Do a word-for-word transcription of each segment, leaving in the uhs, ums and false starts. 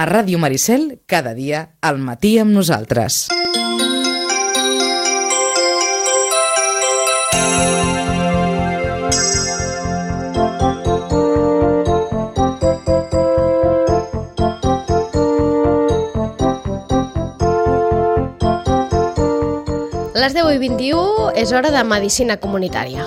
A Ràdio Maricel, cada dia, al matí amb nosaltres. A les deu i vint-i-u és hora de Medicina Comunitària.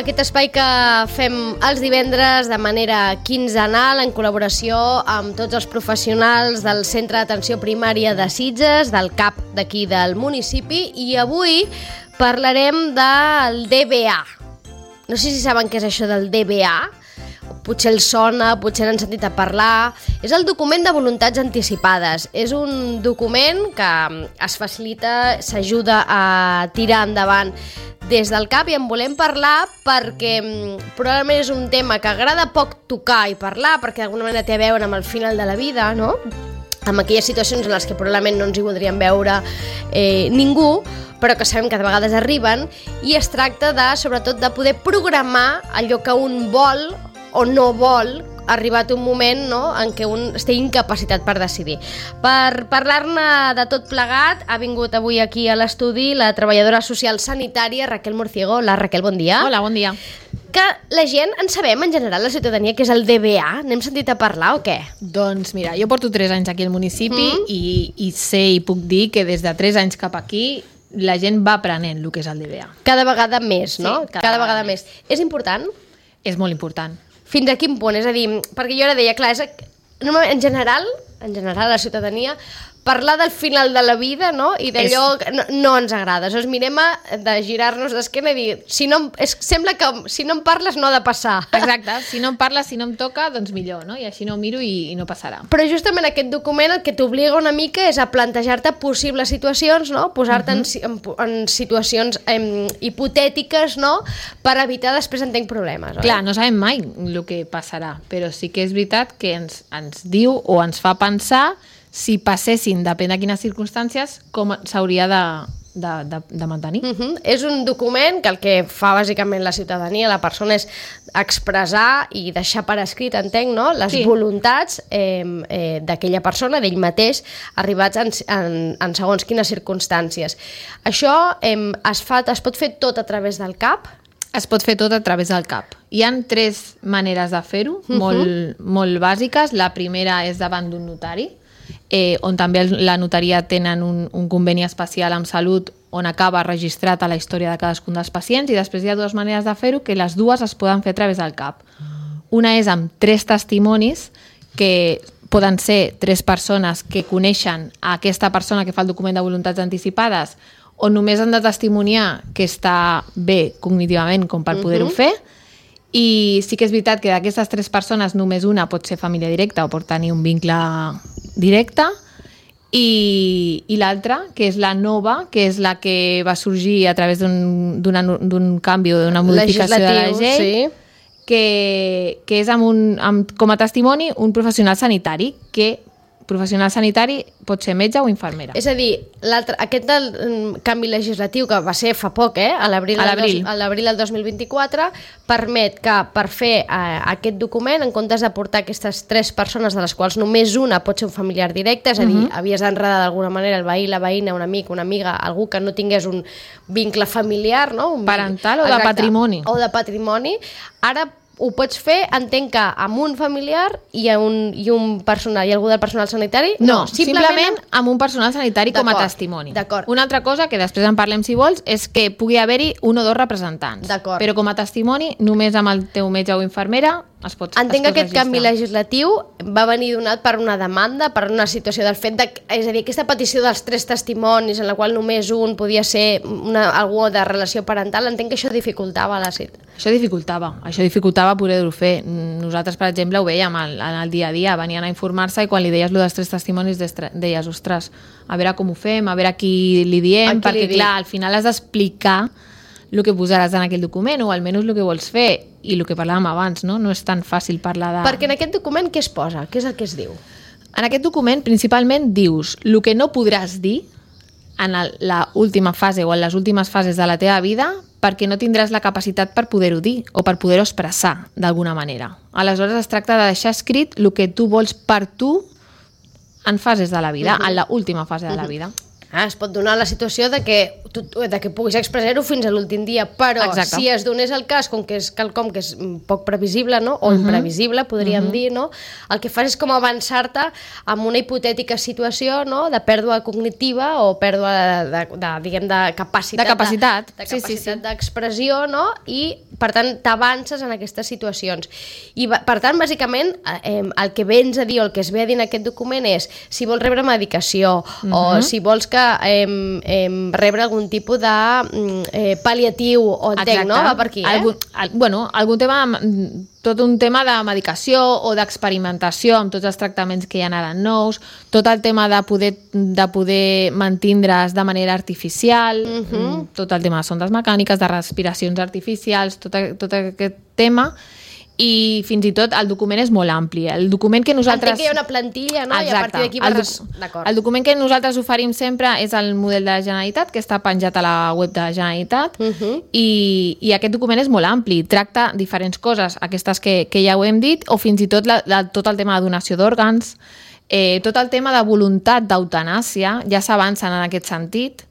Aquest espai que fem els divendres de manera quinzenal en col·laboració amb tots els professionals del Centre d'Atenció Primària de Sitges, del C A P d'aquí del municipi, i avui parlarem del D B A. No sé si saben què és això del D B A. Potser el sona, potser n'han sentit a parlar. És el document de voluntats anticipades. És un document que es facilita, s'ajuda a tirar endavant des del C A P, i en volem parlar perquè probablement és un tema que agrada poc tocar i parlar, perquè d'alguna manera té a veure amb el final de la vida, no? Amb aquelles situacions en les que probablement no ens hi voldríem veure eh, ningú, però que sabem que de vegades arriben, i es tracta de, sobretot, de poder programar allò que un vol o no vol, arribat un moment, no?, en què un estigui incapacitat per decidir. Per parlar-ne de tot plegat, ha vingut avui aquí a l'estudi la treballadora social sanitària Raquel Murciego. Hola, Raquel, bon dia. Hola, bon dia. Que la gent en sabem, en general, la ciutadania, que és el D B A? N'hem sentit a parlar o què? Doncs mira, jo porto tres anys aquí al municipi mm. i, i sé i puc dir que des de tres anys cap aquí la gent va aprenent el que és el D B A. Cada vegada més, no? Sí, cada, cada vegada, vegada més. És important? És molt important. Fins a quin punt? És a dir, perquè jo ara deia, clar, és, en general, en general la ciutadania, parlar del final de la vida, no?, i d'allò és... no, no ens agrada. Aleshores mirem a, de girar-nos d'esquena i dir, si no, és, sembla que si no em parles no ha de passar. Exacte, si no em parles, si no em toca, doncs millor, no? I així no ho miro i, i no passarà. Però justament aquest document el que t'obliga una mica és a plantejar-te possibles situacions, no?, posar-te uh-huh. en, en, en situacions em, hipotètiques, no?, per evitar després en tenir problemes. Oi? Clar, no sabem mai el que passarà, però sí que és veritat que ens, ens diu o ens fa pensar si passessin, depèn de quines circumstàncies, com s'hauria de, de, de, de mantenir. Uh-huh. És un document que el que fa bàsicament la ciutadania, la persona, és expressar i deixar per escrit, entenc, no?, les sí. voluntats eh, eh, d'aquella persona, d'ell mateix, arribats en, en, en segons quines circumstàncies. Això eh, es, fa, es pot fer tot a través del C A P? Es pot fer tot a través del C A P. Hi ha tres maneres de fer-ho, uh-huh. molt, molt bàsiques. La primera és davant d'un notari, Eh, on també la notaria tenen un, un conveni especial amb Salut on acaba registrat a la història de cadascun dels pacients, i després hi ha dues maneres de fer-ho, que les dues es poden fer a través del C A P. Una és amb tres testimonis, que poden ser tres persones que coneixen a aquesta persona que fa el document de voluntats anticipades, on només han de testimoniar que està bé cognitivament com per poder-ho fer. I sí que és veritat que d'aquestes tres persones només una pot ser família directa o pot tenir un vincle directe, i, i l'altra, que és la nova, que és la que va sorgir a través d'un, d'un canvi o d'una modificació de la llei, sí. que, que és amb un, amb, com a testimoni un professional sanitari, que professional sanitari pot ser metge o infermera. És a dir, aquest del, canvi legislatiu que va ser fa poc, eh, a l'abril del, del dos mil vint-i-quatre, permet que per fer eh, aquest document, en comptes de portar aquestes tres persones, de les quals només una pot ser un familiar directe, és a dir, uh-huh. havies d'enredar d'alguna manera el veí, la veïna, un amic, una amiga, algú que no tingués un vincle familiar, no? Un parental o de patrimoni. O de patrimoni. Ara ho pots fer, entenc que amb un familiar i, un, i un personal, i algú del personal sanitari? No, no simplement, simplement amb un personal sanitari com a testimoni. Una altra cosa, que després en parlem si vols, és que pugui haver-hi un o dos representants. Però com a testimoni, només amb el teu metge o infermera es pot registrar. Entenc que aquest canvi legislatiu va venir donat per una demanda, per una situació del fet de... És a dir, aquesta petició dels tres testimonis, en la qual només un podia ser una, algú de relació parental, entenc que això dificultava la situació. Això dificultava, això dificultava poder-ho fer. Nosaltres, per exemple, ho veiem en el dia a dia, venien a informar-se i quan li deies lo dels tres testimonis deies, ostres, a veure com ho fem, a veure a qui li diem, qui perquè li clar, al final has d'explicar el que posaràs en aquell document o almenys el que vols fer, i el que parlàvem abans, no? No és tan fàcil parlar de... Perquè en aquest document què es posa? Què és el que es diu? En aquest document principalment dius el que no podràs dir en la última fase o en les últimes fases de la teva vida perquè no tindràs la capacitat per poder-ho dir o per poder-ho expressar d'alguna manera. Aleshores es tracta de deixar escrit el que tu vols per tu en fases de la vida, uh-huh. en l'última fase de la vida. Ah, es pot donar la situació de que, tu, de que puguis expressar-ho fins a l'últim dia, però Exacte. Si es donés el cas, com que és quelcom que és poc previsible, no? O uh-huh. imprevisible, podríem uh-huh. dir, no? El que fas és com avançar-te amb una hipotètica situació, no? De pèrdua cognitiva o pèrdua de, de, de, diguem, de capacitat, de capacitat, de, de capacitat sí, sí, sí. d'expressió, no? I, per tant, t'avances en aquestes situacions. I, per tant, bàsicament, eh, el que vens a dir o el que es ve a dir en aquest document és si vols rebre medicació uh-huh. o si vols que Eh, eh, rebre algun tipus de eh, pal·liatiu o entenc, no? Va per aquí, eh? Algun, al, bueno, algun tema, tot un tema de medicació o d'experimentació amb tots els tractaments que hi ha ara nous, tot el tema de poder, de poder mantindre's de manera artificial, uh-huh. tot el tema de sondes mecàniques, de respiracions artificials, tot, tot aquest tema. I fins i tot el document és molt ampli. El document que nosaltres... Entenc que hi ha una plantilla, no? Exacte. I a partir d'aquí va... El, doc... D'acord. El document que nosaltres oferim sempre és el model de la Generalitat, que està penjat a la web de la Generalitat, uh-huh. i, i aquest document és molt ampli. Tracta diferents coses, aquestes que, que ja ho hem dit, o fins i tot la, la, tot el tema de donació d'òrgans, eh, tot el tema de voluntat d'eutanàsia, ja s'avancen en aquest sentit.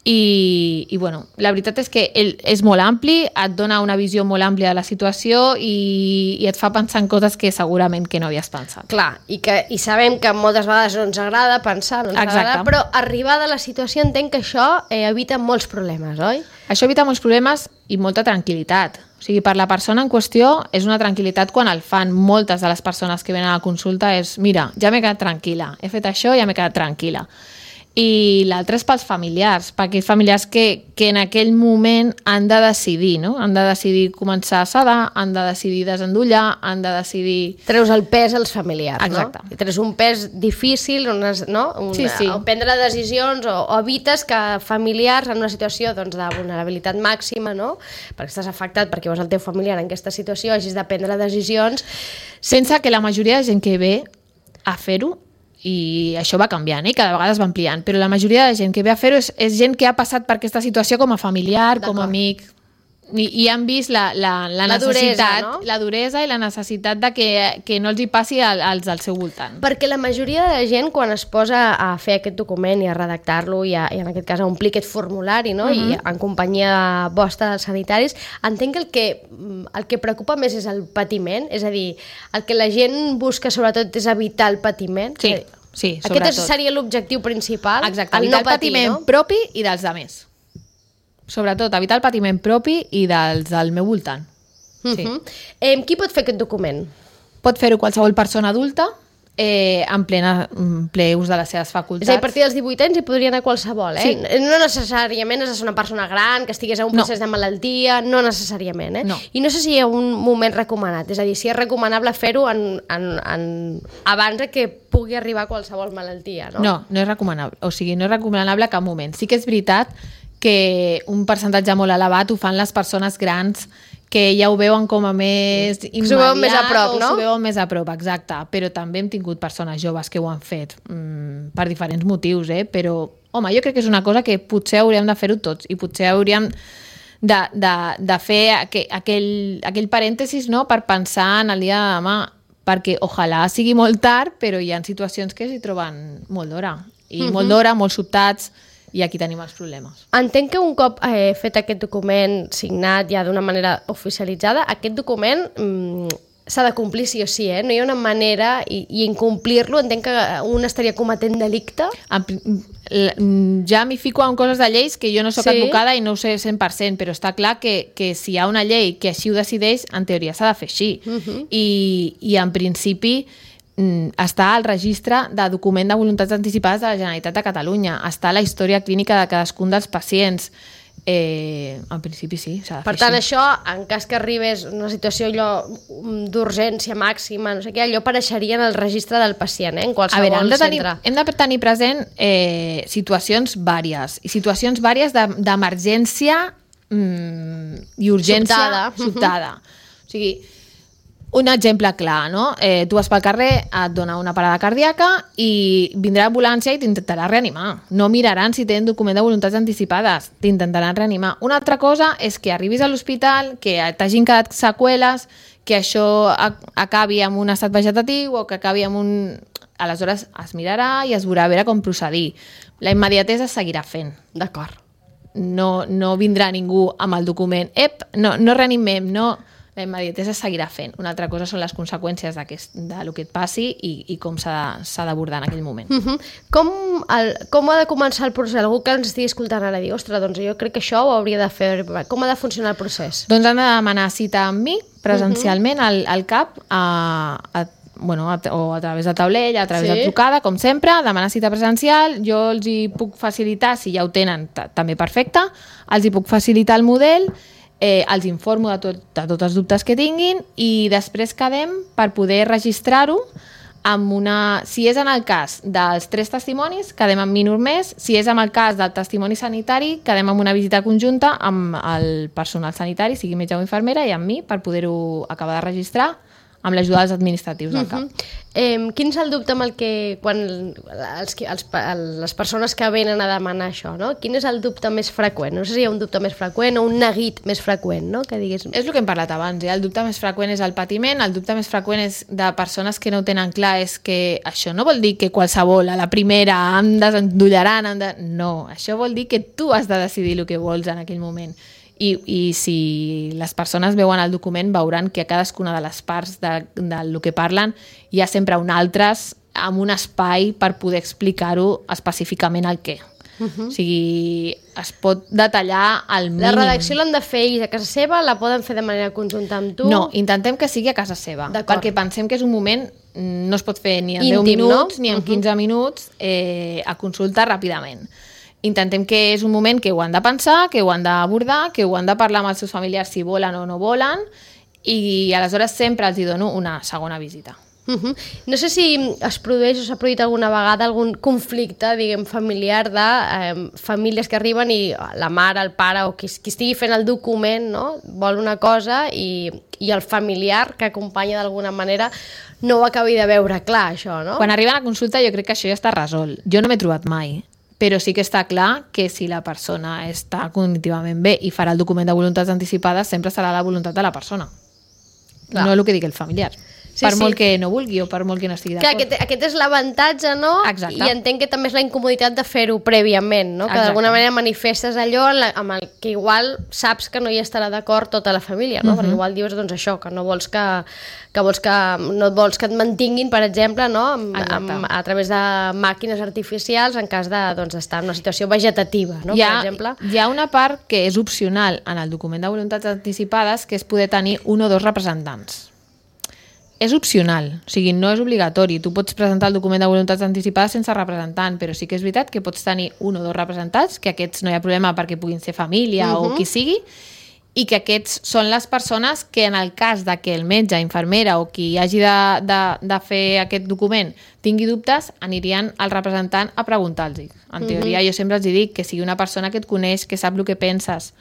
I, i bueno, la veritat és que ell és molt ampli, et dona una visió molt àmplia de la situació i, i et fa pensar en coses que segurament que no havies pensat. Clar, i, que, i sabem que moltes vegades no ens agrada pensar, no ens agrada, però arribada a la situació entenc que això eh, evita molts problemes, oi? Això evita molts problemes i molta tranquil·litat. O sigui, per la persona en qüestió és una tranquil·litat quan el fan moltes de les persones que venen a la consulta és, mira, ja m'he quedat tranquil·la, he fet això i ja m'he quedat tranquil·la. I l'altre és pels familiars, per aquells familiars que, que en aquell moment han de decidir, no? Han de decidir començar a sedar, han de decidir desendollar, han de decidir... Treus el pes als familiars, Exacte. No? Treus un pes difícil, unes, no? Una, sí, sí. O prendre decisions, o, o evites que familiars en una situació doncs, de vulnerabilitat màxima, no? Perquè estàs afectat perquè veus el teu familiar en aquesta situació, hagis de prendre decisions... Sense que la majoria de gent que ve a fer-ho, i això va canviant, eh? Cada vegada es va ampliant, però la majoria de gent que ve a fer-ho és, és gent que ha passat per aquesta situació com a familiar, com a amic, i, i han vist la, la, la, la necessitat, duresa, no? la duresa i la necessitat de que, que no els hi passi al, als del seu voltant. Perquè la majoria de gent, quan es posa a fer aquest document i a redactar-lo i, a, i en aquest cas a omplir aquest formulari, no? Uh-huh. I en companyia vostra dels sanitaris, entenc que el, que el que preocupa més és el patiment, és a dir, el que la gent busca sobretot és evitar el patiment. Sí, dir, sí, sobretot. Aquest seria l'objectiu principal. Exacte, evitar el, no patir, el patiment no? propi i dels altres. Sobretot, evitar el patiment propi i dels del meu voltant. Sí. Uh-huh. eh, qui pot fer aquest document? Pot fer-ho qualsevol persona adulta, eh, en, plena, en ple ús de les seves facultats. És a dir, a partir dels divuit anys hi podria anar qualsevol, eh? Sí. No necessàriament has de ser una persona gran, que estigués en un procés no. de malaltia, no necessàriament, eh? No. I no sé si hi ha un moment recomanat, és a dir, si és recomanable fer-ho en, en, en... abans de que pugui arribar a qualsevol malaltia, no? No, no és recomanable, o sigui, no és recomanable a cap moment. Sí que és veritat que un percentatge molt elevat ho fan les persones grans que ja ho veuen com a més immediat, s'ho veuen més a prop, no? S'ho veuen més a prop, exacte. Però també hem tingut persones joves que ho han fet mm, per diferents motius, eh? Però, home, jo crec que és una cosa que potser hauríem de fer-ho tots i potser hauríem de, de, de fer aquell, aquell, aquell parèntesis, no?, per pensar en el dia de demà, perquè ojalà sigui molt tard, però hi ha situacions que s'hi troben molt d'hora. I uh-huh. molt d'hora, molt sobtats, i aquí tenim els problemes. Entenc que un cop eh, fet aquest document signat ja d'una manera oficialitzada, aquest document mm, s'ha de complir sí o sí, eh? No hi ha una manera, i, i incomplir-lo entenc que un estaria cometent delicte? Ja m'hi fico en coses de lleis que jo no soc sí. advocada i no ho sé cent per cent, però està clar que, que si hi ha una llei que així ho decideix, en teoria s'ha de fer així. Uh-huh. I, I en principi està al registre de document de voluntats anticipades de la Generalitat de Catalunya, està la història clínica de cadascun dels pacients. Eh, en principi sí, s'ha de fer. Per tant, així. Això, en cas que arribés una situació allò d'urgència màxima, no sé què, allò apareixeria en el registre del pacient, eh, en qualsevol a veure, hem de tenir, centre. Hem de tenir present eh, situacions vàries, i situacions vàries d'emergència mm, i urgència sobtada. sobtada. O sigui, Un exemple clar, no? Eh, tu vas pel carrer, et dona una parada cardíaca i vindrà l'ambulància i t'intentarà reanimar. No miraran si tenen document de voluntats anticipades, t'intentaran reanimar. Una altra cosa és que arribis a l'hospital, que t'hagin quedat seqüeles, que això acabi amb un estat vegetatiu o que acabi amb un... Aleshores es mirarà i es veurà a veure com procedir. La immediatesa es seguirà fent. D'acord. No, no vindrà ningú amb el document. Ep, no, no reanimem, no... La immediatesa es seguirà fent. Una altra cosa són les conseqüències del que et passi i, i com s'ha d'abordar en aquell moment. Uh -huh. com, el, com ha de començar el procés? Algú que ens estigui escoltant ara dir, ostres, doncs jo crec que això ho hauria de fer. Com ha de funcionar el procés? Doncs han de demanar cita amb mi, presencialment, uh -huh. al, al C A P, a, a bueno, a, o a través de taulell, a través sí. de trucada, com sempre, demanar cita presencial, jo els hi puc facilitar, si ja ho tenen, també perfecte, els hi puc facilitar el model, eh, els informo de, tot, de tots els dubtes que tinguin i després quedem per poder registrar-ho amb una... Si és en el cas dels tres testimonis, quedem amb mi només, si és en el cas del testimoni sanitari, quedem amb una visita conjunta amb el personal sanitari, sigui metge o infermera, i amb mi per poder-ho acabar de registrar amb l'ajuda dels administratius del C A P. Uh -huh. eh, quin és el dubte amb el que, quan els, els, les persones que venen a demanar això, no? Quin és el dubte més freqüent? No sé si hi ha un dubte més freqüent o un neguit més freqüent, no? Que diguis... És el que hem parlat abans, eh? El dubte més freqüent és el patiment, el dubte més freqüent és de persones que no ho tenen clar, és que això no vol dir que qualsevol, a la primera, em desendollaran, em de... no, això vol dir que tu has de decidir el que vols en aquell moment. I, i si les persones veuen el document veuran que a cadascuna de les parts de, de lo que parlen hi ha sempre un altres amb un espai per poder explicar-ho específicament el què. Uh -huh. O sigui, es pot detallar al mínim. La redacció l'han de fer ells a casa seva? La poden fer de manera conjunta amb tu? No, intentem que sigui a casa seva, perquè pensem que és un moment, no es pot fer ni en íntim, deu minuts no? ni en quinze uh -huh. minuts, eh, a consulta ràpidament. Intentem que és un moment que ho han de pensar, que ho han d'abordar, que ho han de parlar amb els seus familiars si volen o no volen, i aleshores sempre els hi dono una segona visita. Uh -huh. No sé si es produeix o s'ha produït alguna vegada algun conflicte, diguem, familiar de eh, famílies que arriben i la mare, el pare o qui, qui estigui fent el document, no? Vol una cosa i, i el familiar que acompanya d'alguna manera no ho acabi de veure clar, això, no? Quan arriben a consulta jo crec que això ja està resolt. Jo no m'he trobat mai. Però sí que està clar que si la persona està cognitivament bé i farà el document de voluntats anticipades, sempre serà la voluntat de la persona. Clar. No el que digui el familiar. Sí, per sí. molt que no vulgui o per molt que no estigui d'acord. Aquest, aquest és l'avantatge, no? Exacte. I entenc que també és la incomoditat de fer-ho prèviament, no? Que d'alguna manera manifestes allò amb el que igual saps que no hi estarà d'acord tota la família, no? Uh-huh. Perquè igual dius, doncs això, que no vols que, que, vols que, no vols que et mantinguin, per exemple, no? Amb, amb, a través de màquines artificials en cas de, doncs, estar en una situació vegetativa, no? Hi ha, per exemple. Hi ha una part que és opcional en el document de voluntats anticipades, que és poder tenir un o dos representants. És opcional, o sigui, no és obligatori. Tu pots presentar el document de voluntats anticipades sense representant, però sí que és veritat que pots tenir un o dos representants, que aquests no hi ha problema perquè puguin ser família uh-huh. o qui sigui, i que aquests són les persones que en el cas de que el metge, infermera o qui hagi de, de, de fer aquest document tingui dubtes, anirien al representant a preguntar-los. En teoria, uh-huh. jo sempre els dic que sigui una persona que et coneix, que sap el que penses.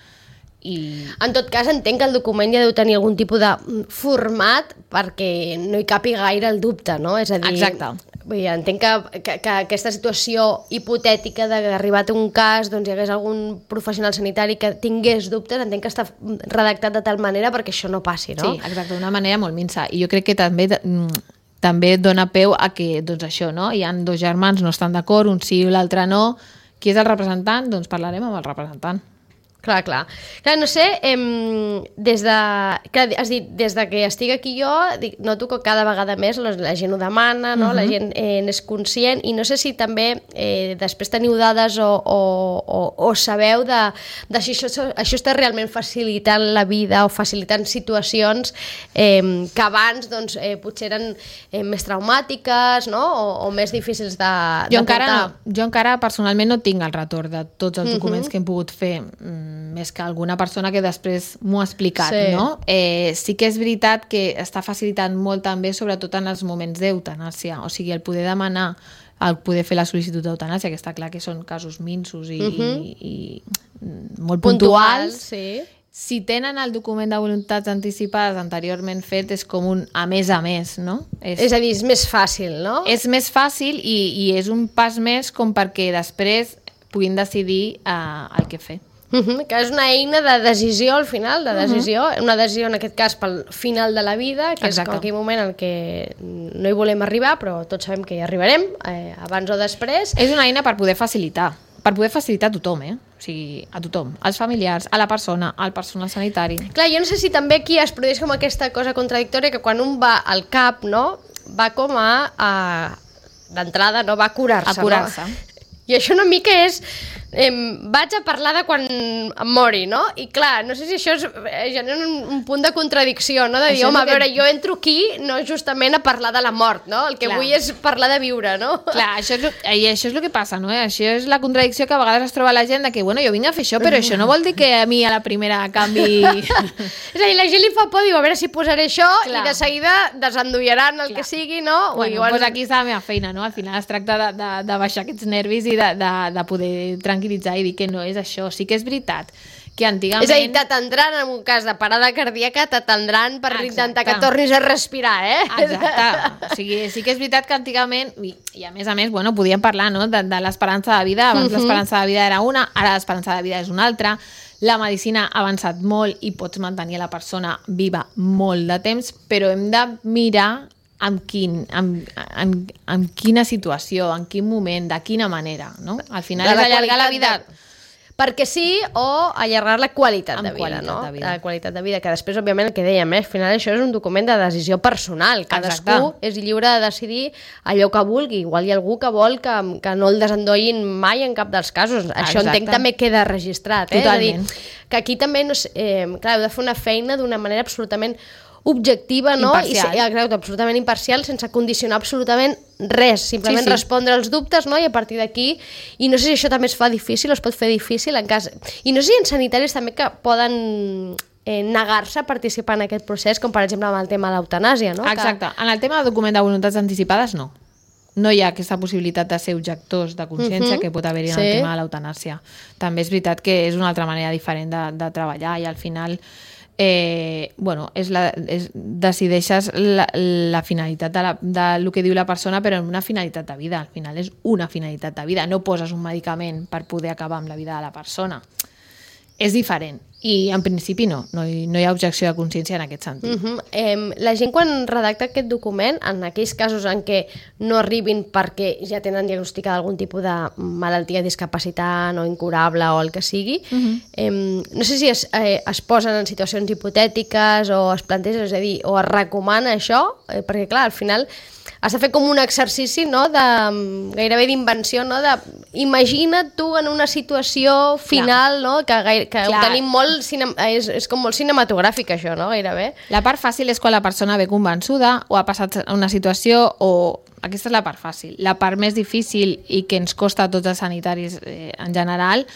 I... En tot cas, entenc que el document ja deu tenir algun tipus de format perquè no hi capi gaire el dubte, no? És a dir, exacte. Vull dir, entenc que, que, que aquesta situació hipotètica d'arribar a un cas, doncs hi hagués algun professional sanitari que tingués dubtes, entenc que està redactat de tal manera perquè això no passi, no? Sí, exacte, d'una manera molt minsa. I jo crec que també també dona peu a que, doncs això, no? Hi ha dos germans, no estan d'acord, un sí i l'altre no. Qui és el representant? Doncs parlarem amb el representant. Clar, clar. Clar, no sé, eh, des de... Clar, has dit, des de que estic aquí jo, dic, noto que cada vegada més la, la gent ho demana, no? Uh-huh. La gent eh, n'és conscient, i no sé si també eh, després teniu dades o, o, o, o sabeu de, de si això, això està realment facilitant la vida o facilitant situacions eh, que abans doncs, eh, potser eren eh, més traumàtiques, no? O, o més difícils de, jo de encara portar. No, jo encara personalment no tinc el retorn de tots els documents uh-huh. que hem pogut fer, més que alguna persona que després m'ho ha explicat, sí. no? Eh, sí que és veritat que està facilitant molt també, sobretot en els moments d'eutanàsia, o sigui, el poder demanar, el poder fer la sol·licitud d'eutanàsia, que està clar que són casos minsos i, uh-huh. i, i molt puntuals, puntuals sí. si tenen el document de voluntats anticipades anteriorment fet, és com un a més a més, no? És, és a dir, és més fàcil, no? És més fàcil i, i és un pas més com perquè després puguin decidir uh, el que fer. Uh -huh, que és una eina de decisió al final, de decisió, uh -huh. una decisió en aquest cas pel final de la vida, que Exacte. És com aquell moment en què no hi volem arribar, però tots sabem que hi arribarem, eh, abans o després. És una eina per poder facilitar, per poder facilitar a tothom, eh? O sigui, a tothom, als familiars, a la persona, al personal sanitari. Clar, jo no sé si també aquí es produeix com aquesta cosa contradictòria que quan un va al cap, no?, va com a, a d'entrada, no?, va a curar-se. A curar-se. No? I això una mica és... Eh, vaig a parlar de quan em mori, no? I clar, no sé si això és, genera un, un punt de contradicció, no? De dir, home, a veure, que... jo entro aquí no justament a parlar de la mort, no? El que clar. Vull és parlar de viure, no? Clar, això és, i això és el que passa, no? Això és la contradicció que a vegades es troba la gent de que, bueno, jo vinc a fer això, però això no vol dir que a mi a la primera canvi... És a dir, la gent li fa por, diu, a veure si posaré això, clar. I de seguida desendollaran el clar. Que sigui, no? Bueno, igual... doncs aquí està la meva feina, no? Al final es tracta de, de, de baixar aquests nervis i de, de, de poder tranquil·litzar i dir que no és això. Sí que és veritat que antigament... És a dir, t'atendran en un cas de parada cardíaca, t'atendran per Exacte. Intentar que tornis a respirar, eh? Exacte. O sigui, sí que és veritat que antigament, i, i a més a més, bueno, podíem parlar, no?, de, de l'esperança de vida. Abans uh-huh. l'esperança de vida era una, ara l'esperança de vida és una altra. La medicina ha avançat molt i pots mantenir la persona viva molt de temps, però hem de mirar en, quin, en, en, en quina situació, en quin moment, de quina manera, no? Al final és allargar la vida... De... perquè sí, o allargar la qualitat amb de vida, qualitat no? De vida. La qualitat de vida, que després, òbviament, el que dèiem, eh? Al final això és un document de decisió personal. Cadascú Exacte. És lliure de decidir allò que vulgui. Igual hi ha algú que vol que, que no el desendollin mai en cap dels casos. Això Exacte. Entenc també queda registrat, eh? Totalment. És a dir, que aquí també, no sé, eh, clar, heu de fer una feina d'una manera absolutament objectiva, no? Imparcial. I, exacte, absolutament imparcial, sense condicionar absolutament res, simplement sí, sí. respondre als dubtes, no? I a partir d'aquí, i no sé si això també es fa difícil, o es pot fer difícil en cas... I no sé si hi ha sanitaris també que poden eh, negar-se a participar en aquest procés, com per exemple amb el tema de l'eutanàsia, no? Exacte, que... en el tema del document de voluntats anticipades no. No hi ha aquesta possibilitat de ser objectors de consciència uh-huh. que pot haver-hi en sí. el tema de l'eutanàsia. També és veritat que és una altra manera diferent de, de treballar i al final... Eh, bueno, és la, és, decideixes la, la finalitat de, la, de lo que diu la persona, però en una finalitat de vida. Al final és una finalitat de vida, no poses un medicament per poder acabar amb la vida de la persona. És diferent i en principi no, no hi, no hi ha objecció de consciència en aquest sentit. Uh-huh. eh, la gent quan redacta aquest document, en aquells casos en què no arribin perquè ja tenen diagnosticada algun tipus de malaltia discapacitant o incurable o el que sigui, uh-huh. eh, no sé si es, eh, es posen en situacions hipotètiques o es plantegen, és a dir, o es recomana això, eh, perquè clar, al final has de fer com un exercici, no?, de, gairebé d'invenció, no?, de imagina't tu en una situació final, no?, que, gaire, que ho tenim molt, cine, és, és com molt cinematogràfic això, no?, gairebé. La part fàcil és quan la persona ve convençuda o ha passat una situació o... Aquesta és la part fàcil. La part més difícil i que ens costa a tots els sanitaris eh, en general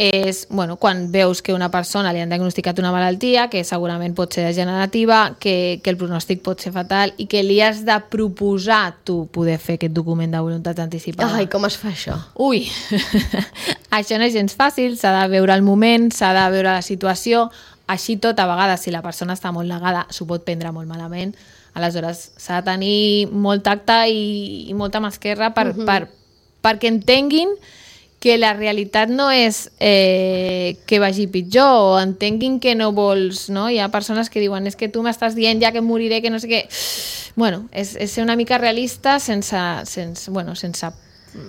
és, bueno, quan veus que una persona li han diagnosticat una malaltia que segurament pot ser degenerativa, que, que el pronòstic pot ser fatal i que li has de proposar tu poder fer aquest document de voluntat anticipada. Ai, com es fa això? Ui, això no és gens fàcil, s'ha de veure el moment, s'ha de veure la situació, així tot, a vegades, si la persona està molt negada, s'ho pot prendre molt malament, aleshores s'ha de tenir molt tacte i, i molta mà esquerra per, uh-huh. per, perquè entenguin que la realitat no és eh, que vagi pitjor o entenguin que no vols, no? Hi ha persones que diuen és que tu m'estàs dient ja que em moriré, que no sé què... Bueno, és, és ser una mica realista sense, sense, bueno, sense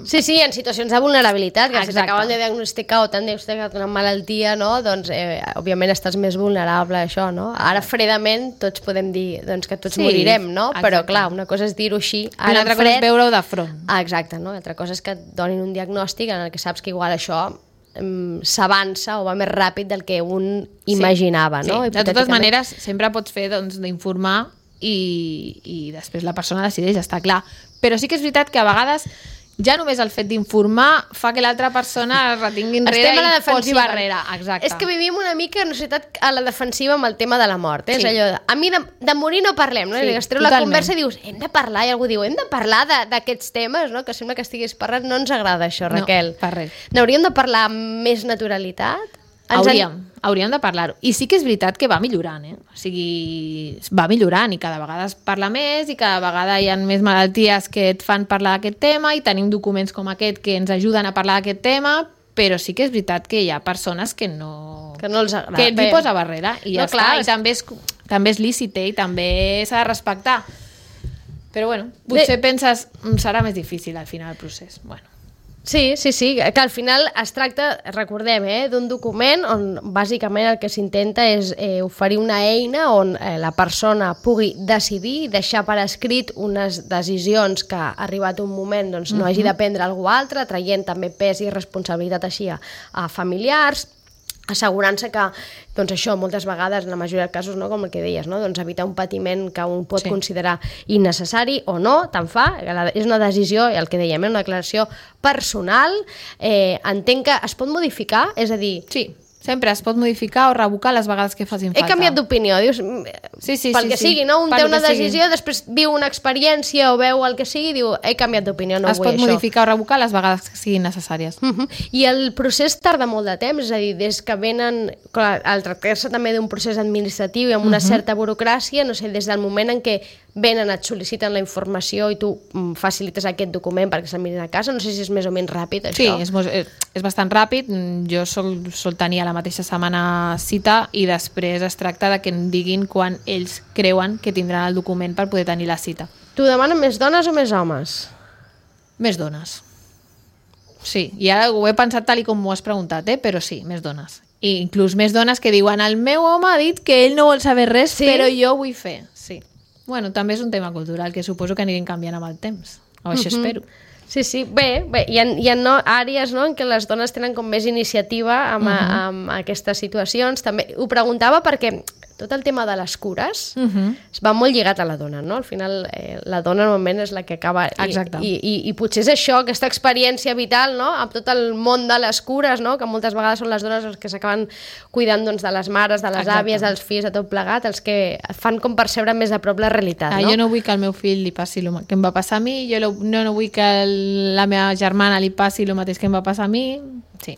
Sí, sí, en situacions de vulnerabilitat, que Exacte. Si t'acaben de diagnosticar o t'han diagnosticat una malaltia, no? Doncs, eh, òbviament, estàs més vulnerable a això, no? Ara, fredament, tots podem dir doncs, que tots sí, morirem, no? Exacte. Però, clar, una cosa és dir-ho així, ara una altra fred... cosa és veure-ho de front. Ah, exacte, no? L'altra cosa és que et donin un diagnòstic en el que saps que igual això mm, s'avança o va més ràpid del que un imaginava, sí, no? Sí. De totes maneres, sempre pots fer doncs, d'informar i, i després la persona decideix, està clar. Però sí que és veritat que a vegades ja només el fet d'informar fa que l'altra persona es retingui enrere i posi barrera. Exacte. És que vivim una mica en una societat a la defensiva amb el tema de la mort. Eh? Sí. És allò de, a mi de, de morir no parlem, no? Sí, es treu la conversa i dius, hem de parlar, i algú diu, hem de parlar d'aquests temes, no? Que sembla que estiguis parlant. No ens agrada això, Raquel. No, per res. N'hauríem de parlar amb més naturalitat? Hauríem, hauríem de parlar-ho. I sí que és veritat que va millorant, eh? O sigui, va millorant i cada vegada es parla més i cada vegada hi ha més malalties que et fan parlar d'aquest tema i tenim documents com aquest que ens ajuden a parlar d'aquest tema, però sí que és veritat que hi ha persones que no... Que no els agrada. Que et hi posa barrera i ja no, clar, està. I també és, també és lícit, eh? I també s'ha de respectar. Però bueno, potser Bé. penses serà més difícil al final el procés. Bueno. Sí, sí, sí, que al final es tracta, recordem, eh, d'un document on bàsicament el que s'intenta és eh, oferir una eina on eh, la persona pugui decidir i deixar per escrit unes decisions que ha arribat un moment doncs, no uh-huh. hagi de prendre algú altre, traient també pes i responsabilitat així a, a familiars, assegurant-se que, doncs això, moltes vegades, en la majoria de casos, no, com el que deies, no, doncs evitar un patiment que un pot sí. considerar innecessari o no, tant fa, és una decisió, el que dèiem, una declaració personal, eh, entenc que es pot modificar, és a dir... Sí. Sempre es pot modificar o revocar les vegades que facin falta. He canviat d'opinió, dius, sí, sí, pel sí, que sí. sigui, no? Un per té una decisió, sigui. després viu una experiència o veu el que sigui, diu, he canviat d'opinió, no es vull això. Es pot modificar o revocar les vegades que siguin necessàries. Uh -huh. I el procés tarda molt de temps, és a dir, des que venen, clar, al tractar-se també d'un procés administratiu i amb una uh -huh. certa burocràcia, no sé, des del moment en què venen, et sol·liciten la informació i tu mm, facilites aquest document perquè se'l mirin a casa, no sé si és més o menys ràpid, això. Sí, és, és, és bastant ràpid. Jo sol, sol tenir a la mateixa setmana cita i després es tracta de que em diguin quan ells creuen que tindran el document per poder tenir la cita. Tu demanen més dones o més homes? Més dones. Sí, i ara ho he pensat tal i com m'ho has preguntat, eh? Però sí, més dones. I inclús més dones que diuen el meu home ha dit que ell no vol saber res, sí? Però jo vull fer. Sí. Bueno, també és un tema cultural que suposo que anirem canviant amb el temps. O això uh-huh. espero. Sí, sí. Bé, bé hi ha, hi ha no, àrees no, en què les dones tenen com més iniciativa amb, uh-huh. a, amb aquestes situacions. També ho preguntava perquè tot el tema de les cures uh-huh. va molt lligat a la dona, no? Al final eh, la dona normalment és la que acaba... Exacte. I, i, I potser és això, aquesta experiència vital, no? Amb tot el món de les cures, no? Que moltes vegades són les dones les que s'acaben cuidant doncs, de les mares, de les Exacte. àvies, dels fills, de tot plegat, els que fan com percebre més a prop la realitat, ah, no? Jo no vull que al meu fill li passi el que em va passar a mi, jo no, no vull que el, la meva germana li passi el mateix que em va passar a mi. Sí.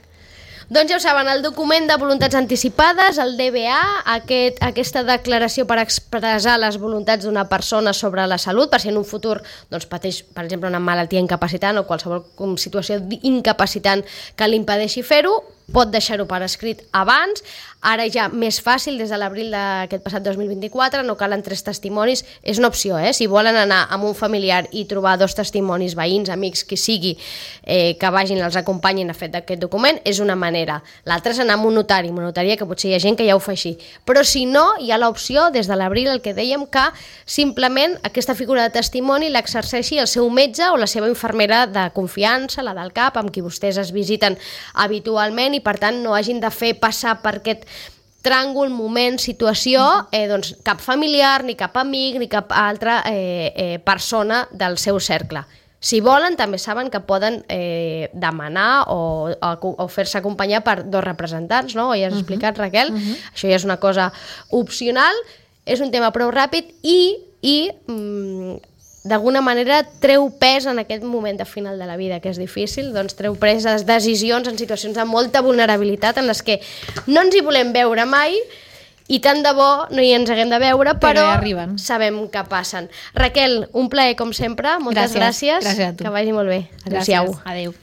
Doncs ja ho saben, el document de voluntats anticipades, el D B A, aquest, aquesta declaració per expressar les voluntats d'una persona sobre la salut, per si en un futur doncs, pateix, per exemple, una malaltia incapacitant o qualsevol situació incapacitant que li impedeixi fer-ho, pot deixar-ho per escrit abans. Ara ja més fàcil, des de l'abril d'aquest passat dos mil vint-i-quatre, no calen tres testimonis, és una opció, eh? Si volen anar amb un familiar i trobar dos testimonis, veïns, amics, qui sigui, eh, que vagin, els acompanyin a fer d'aquest document, és una manera. L'altra és anar amb un notari, amb una notaria, que potser hi ha gent que ja ho fa així. Però si no, hi ha l'opció, des de l'abril, el que dèiem, que simplement aquesta figura de testimoni l'exerceixi el seu metge o la seva infermera de confiança, la del C A P, amb qui vostès es visiten habitualment, i per tant no hagin de fer passar per aquest tràngol, moment, situació, eh, doncs cap familiar, ni cap amic, ni cap altra eh, eh, persona del seu cercle. Si volen, també saben que poden eh, demanar o, o, o fer-se acompanyar per dos representants, no? Ho ja has explicat, Raquel. Uh-huh. Això ja és una cosa opcional, és un tema prou ràpid i, i mm, d'alguna manera treu pes en aquest moment de final de la vida, que és difícil, doncs treu pes les decisions en situacions de molta vulnerabilitat en les que no ens hi volem veure mai i tant de bo no hi ens haguem de veure, però, però sabem que passen. Raquel, un plaer com sempre, moltes gràcies, gràcies, gràcies a tu. Que vagi molt bé. Adéu-siau. Adéu.